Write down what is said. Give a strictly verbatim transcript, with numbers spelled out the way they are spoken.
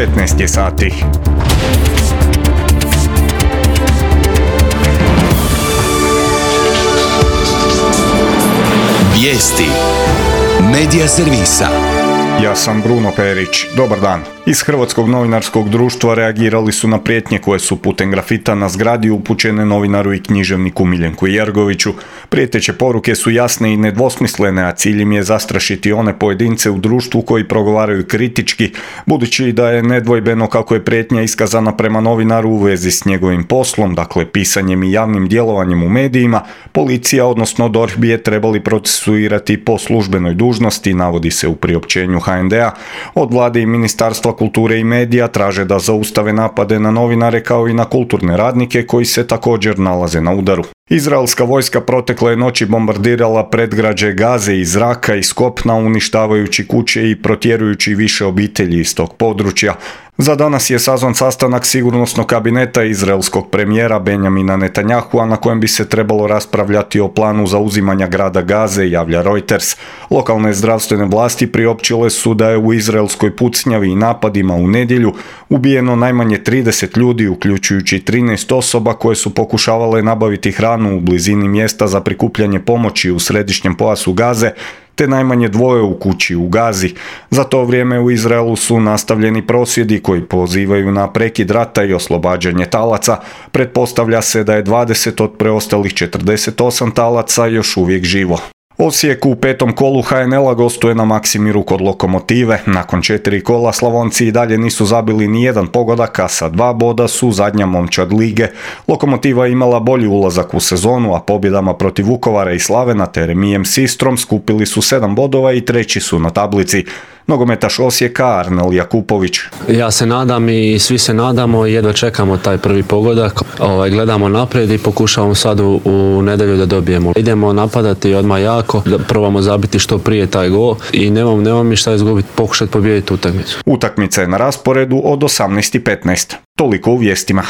petnaest je sati. Vijesti Medija servisa. Ja sam Bruno Perić. Dobar dan. Iz Hrvatskog novinarskog društva reagirali su na prijetnje koje su putem grafita na zgradi upućene novinaru i književniku Miljenku Jergoviću. Prijeteće poruke su jasne i nedvosmislene, a cilj im je zastrašiti one pojedince u društvu koji progovaraju kritički, budući da je nedvojbeno kako je prijetnja iskazana prema novinaru u vezi s njegovim poslom, dakle pisanjem i javnim djelovanjem u medijima. Policija, odnosno D O R H, bi je trebali procesuirati po službenoj dužnosti, navodi se u priopćenju H N D-a. Od vlade i Ministarstva kulture i medija traže da zaustave napade na novinare kao i na kulturne radnike koji se također nalaze na udaru. Izraelska vojska protekle noći bombardirala predgrađe Gaze iz zraka i s kopna, uništavajući kuće i protjerujući više obitelji iz tog područja. Za danas je sazvan sastanak sigurnosnog kabineta izraelskog premijera Benjamina Netanyahua, na kojem bi se trebalo raspravljati o planu zauzimanja grada Gaze, javlja Reuters. Lokalne zdravstvene vlasti priopćile su da je u izraelskoj pucnjavi i napadima u nedjelju ubijeno najmanje trideset ljudi, uključujući trinaest osoba koje su pokušavale nabaviti hranu u blizini mjesta za prikupljanje pomoći u središnjem pojasu Gaze, te najmanje dvoje u kući u Gazi. Za to vrijeme u Izraelu su nastavljeni prosvjedi koji pozivaju na prekid rata i oslobađanje talaca. Pretpostavlja se da je dvadeset od preostalih četrdeset osam talaca još uvijek živo. Osijek u petom kolu H N L-a gostuje na Maksimiru kod Lokomotive. Nakon četiri kola Slavonci i dalje nisu zabili ni jedan pogodak, a sa dva boda su zadnja momčad lige. Lokomotiva je imala bolji ulazak u sezonu, a pobjedama protiv Vukovara i Slavena te remijem s Istrom skupili su sedam bodova i treći su na tablici. Nogometaš Osijeka Arnel Jakupović. Ja se nadam i svi se nadamo i jedva čekamo taj prvi pogodak. Ovaj, gledamo naprijed i pokušavamo sad u, u nedjelju da dobijemo. Idemo napadati odmah jako, da probamo zabiti što prije taj gol i nemam, nemam mi šta izgubiti, pokušati pobijediti utakmicu. Utakmica je na rasporedu od osamnaest i petnaest. Toliko u vijestima.